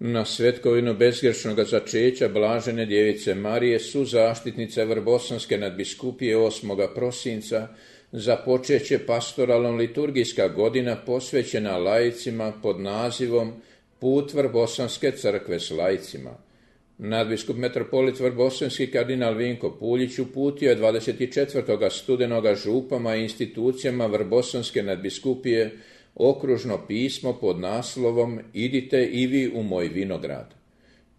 Na svetkovinu bezgrešnoga začeća Blažene djevice Marije, suzaštitnice Vrbosanske nadbiskupije 8. prosinca, započeće pastoralno liturgijska godina posvećena laicima pod nazivom Put Vrbosanske crkve s laicima. Nadbiskup metropolit Vrbosanski kardinal Vinko Puljić uputio je 24. studenoga župama i institucijama Vrbosanske nadbiskupije okružno pismo pod naslovom Idite i vi u moj vinograd.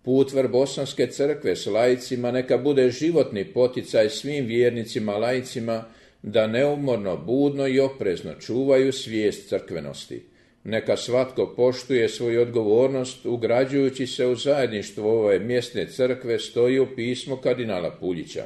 Put Vrbosanske crkve s laicima neka bude životni poticaj svim vjernicima laicima da neumorno, budno i oprezno čuvaju svijest crkvenosti. Neka svatko poštuje svoju odgovornost ugrađujući se u zajedništvo ove mjesne crkve, stoji u pismu kardinala Puljića.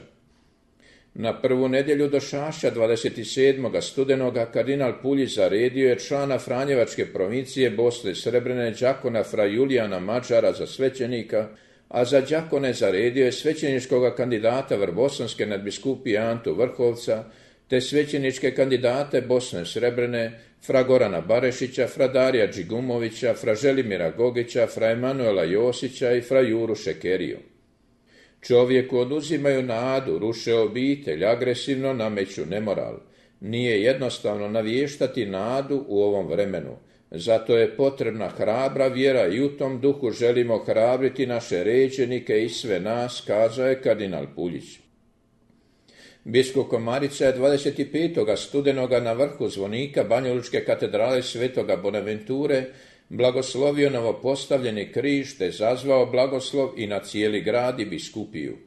Na prvu nedjelju došašća 27. studenoga kardinal Puljić zaredio je člana Franjevačke provincije Bosne Srebrene đakona fra Julijana Mađara za svećenika, a za đakone zaredio je svećeničkoga kandidata Vrbosanske nadbiskupije Antu Vrhovca, te svećeničke kandidate Bosne Srebrene, fra Gorana Barešića, fra Darija Džigumovića, fra Želimira Gogića, fra Emanuela Josića i fra Juru Šekeriju. Čovjeku oduzimaju nadu, ruše obitelj, agresivno nameću nemoral. Nije jednostavno navještati nadu u ovom vremenu. Zato je potrebna hrabra vjera i u tom duhu želimo hrabriti naše ređenike i sve nas, kazao je kardinal Puljić. Biskup Komarica je 25. studenoga na vrhu zvonika Banjalučke katedrale Svetoga Bonaventure blagoslovio novopostavljeni križ te zazvao blagoslov i na cijeli grad i biskupiju.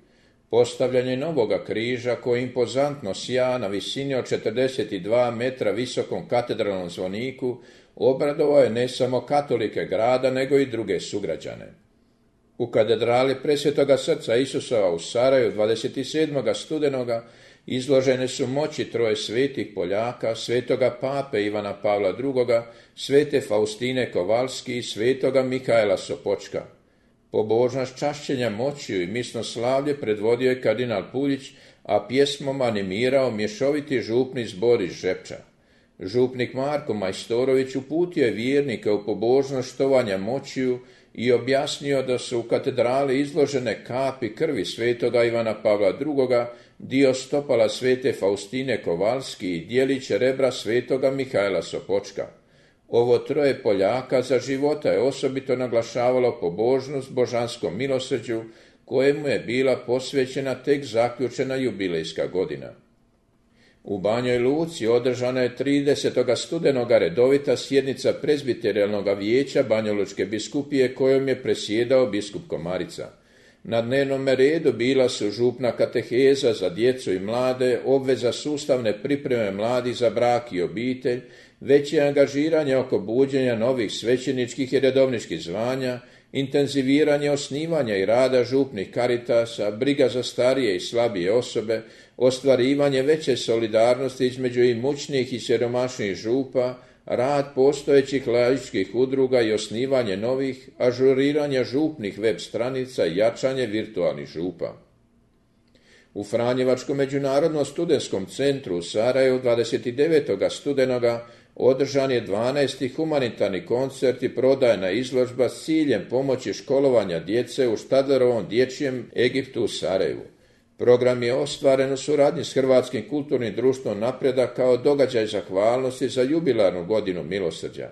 Postavljanje novoga križa koji impozantno sja na visini od 42 metra visokom katedralnom zvoniku obradovao je ne samo katolike grada nego i druge sugrađane. U katedrali Presvetoga srca Isusova u Sarajevu 27. studenoga izložene su moći troje svetih Poljaka, svetoga pape Ivana Pavla II, svete Faustine Kovalski i svetoga Mihaela Sopočka. Pobožnost čašćenja moćiju i misno slavlje predvodio je kardinal Puljić, a pjesmom animirao mješoviti župni zbor iz Žepča. Župnik Marko Majstorović uputio je vjernike u pobožnost štovanja moćiju i objasnio da su u katedrali izložene kapi krvi svetoga Ivana Pavla II, dio stopala svete Faustine Kovalski i dijelić rebra svetoga Mihaela Sopočka. Ovo troje Poljaka za života je osobito naglašavalo pobožnost božanskom milosrđu, kojemu je bila posvećena tek zaključena jubilejska godina. U Banjoj Luci održana je 30. studenoga redovita sjednica prezbiterijalnog vijeća Banjalučke biskupije kojom je presjedao biskup Komarica. Na dnevnom redu bila su župna kateheza za djecu i mlade, obveza sustavne pripreme mladih za brak i obitelj, veće angažiranje oko buđenja novih svećeničkih i redovničkih zvanja, intenziviranje osnivanja i rada župnih karitasa, briga za starije i slabije osobe, ostvarivanje veće solidarnosti između imućnijih i siromašnijih župa, rad postojećih laičkih udruga i osnivanje novih, ažuriranje župnih web stranica i jačanje virtualnih župa. U Franjevačkom međunarodnom studentskom centru u Sarajevu 29. studenoga održan je 12. humanitarni koncert i prodajna izložba s ciljem pomoći školovanja djece u Štadlerovom dječjem Egiptu u Sarajevu. Program je ostvaren u suradnji s Hrvatskim kulturnim društvom Napredak kao događaj zahvalnosti za jubilarnu godinu milosrđa.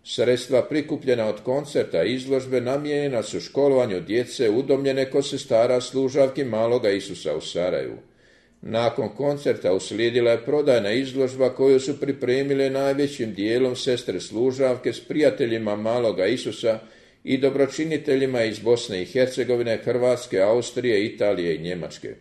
Sredstva prikupljena od koncerta i izložbe namijenjena su školovanju djece udomljene kod sestara služavki Maloga Isusa u Sarajevu. Nakon koncerta uslijedila je prodajna izložba koju su pripremile najvećim dijelom sestre služavke s prijateljima Maloga Isusa i dobročiniteljima iz Bosne i Hercegovine, Hrvatske, Austrije, Italije i Njemačke.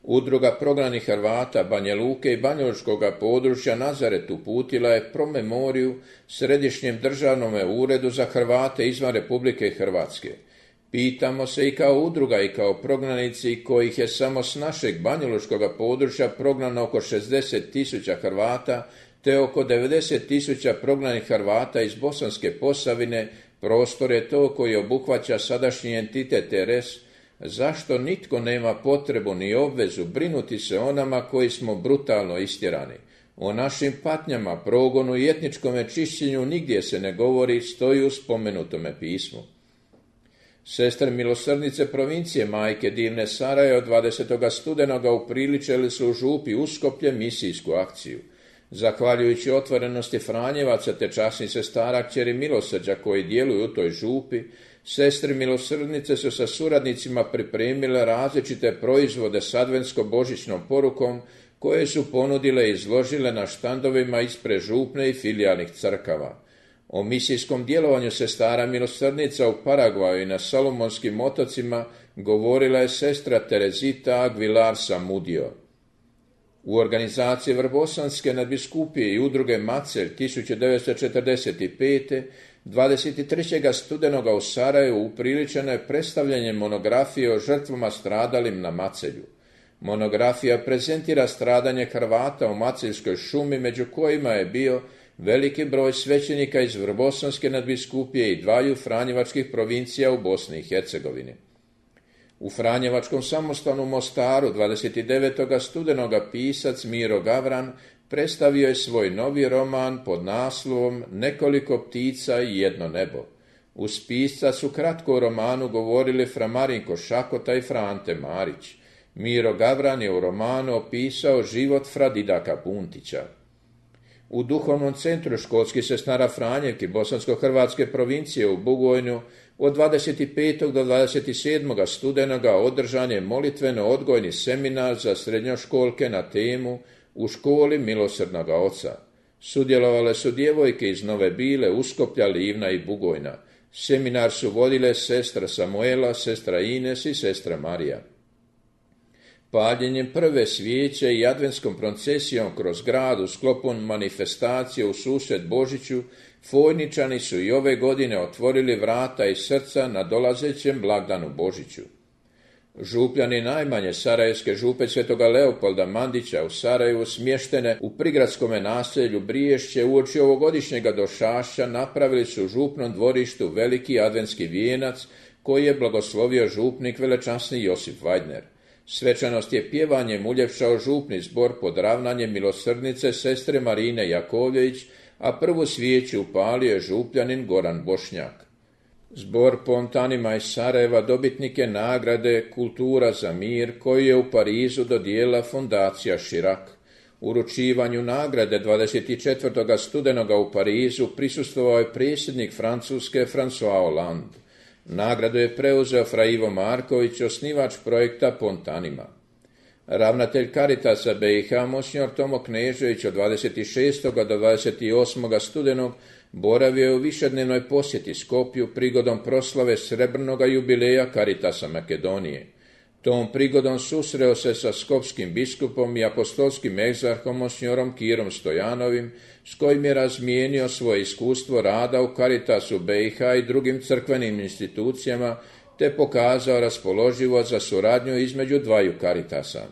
Udruga prognanih Hrvata Banja Luke i banjalučkog područja Nazaret uputila je promemoriju Središnjem državnom uredu za Hrvate izvan Republike Hrvatske. Pitamo se i kao udruga i kao prognanici kojih je samo s našeg banjalučkog područja prognano oko 60.000 Hrvata, te oko 90.000 prognanih Hrvata iz Bosanske Posavine, prostor je to koji obuhvaća sadašnji entitet RS, zašto nitko nema potrebu ni obvezu brinuti se o nama koji smo brutalno istjerani. O našim patnjama, progonu i etničkome čišćenju nigdje se ne govori, stoji u spomenutome pismu. Sestre milosrdnice provincije Majke divne Saraje od 20. studenoga upriličili su u župi Uskoplje misijsku akciju. Zahvaljujući otvorenosti Franjevaca te časnih sestara kćeri milosrđa koji djeluju u toj župi, sestre milosrdnice su sa suradnicima pripremile različite proizvode s adventsko-božićnom porukom koje su ponudile i izložile na štandovima ispred župne i filijalnih crkava. O misijskom djelovanju sestara milosrdnica u Paragvaju i na Salomonskim otocima govorila je sestra Terezita Aguilar Samudio. U organizaciji Vrbosanske nadbiskupije i udruge Macelj 1945. 23. studenoga u Sarajevu upriličeno je predstavljanje monografije o žrtvama stradalim na Macelju. Monografija prezentira stradanje Hrvata u Maceljskoj šumi, među kojima je bio veliki broj svećenika iz Vrbosanske nadbiskupije i dvaju franjevačkih provincija u Bosni i Hercegovini. U Franjevačkom samostanu Mostaru 29. studenoga pisac Miro Gavran predstavio je svoj novi roman pod naslovom Nekoliko ptica i jedno nebo. Uz pisca su kratko o romanu govorili fra Marinko Šakota i Frante Marić. Miro Gavran je u romanu opisao život fra Didaka Puntića. U duhovnom centru školskih sestara Franjevki Bosansko-hrvatske provincije u Bugojnu od 25. do 27. studenoga održan je molitveno-odgojni seminar za srednjoškolke na temu U školi milosrdnoga oca. Sudjelovale su djevojke iz Nove Bile, Uskoplja, Livna i Bugojna. Seminar su vodile sestra Samuela, sestra Ines i sestra Marija. Paljenjem prve svijeće i adventskom procesijom kroz grad u sklopu manifestacije u susret Božiću, Fojničani su i ove godine otvorili vrata i srca na dolazećem blagdanu Božiću. Župljani najmanje sarajevske župe Svetoga Leopolda Mandića u Sarajevu, smještene u prigradskome naselju Briješće, uoči ovogodišnjega došašća napravili su u župnom dvorištu veliki adventski vijenac koji je blagoslovio župnik velečasni Josip Vajdner. Svečanost je pjevanjem uljepšao župni zbor pod ravnanjem milosrdnice sestre Marine Jakovljević, a prvu svijeću upalio je župljanin Goran Bošnjak. Zbor pontanima iz Sarajeva dobitnik je nagrade Kultura za mir koju je u Parizu dodijelila fondacija Širak. Uručivanju nagrade 24. studenoga u Parizu prisustvovao je predsjednik Francuske François Hollande. Nagradu je preuzeo fra Ivo Marković, osnivač projekta Pontanima. Ravnatelj Caritasa BiH Monsignor Tomo Knežević od 26. do 28. studenog boravio je u višednevnoj posjeti Skopju prigodom proslave srebrnoga jubileja Caritasa Makedonije. Tom prigodom susreo se sa skopskim biskupom i apostolskim egzarhom Monsignorom Kirom Stojanovim, s kojim je razmijenio svoje iskustvo rada u Caritasu BiH i drugim crkvenim institucijama, te pokazao raspoloživost za suradnju između dvaju Caritasa.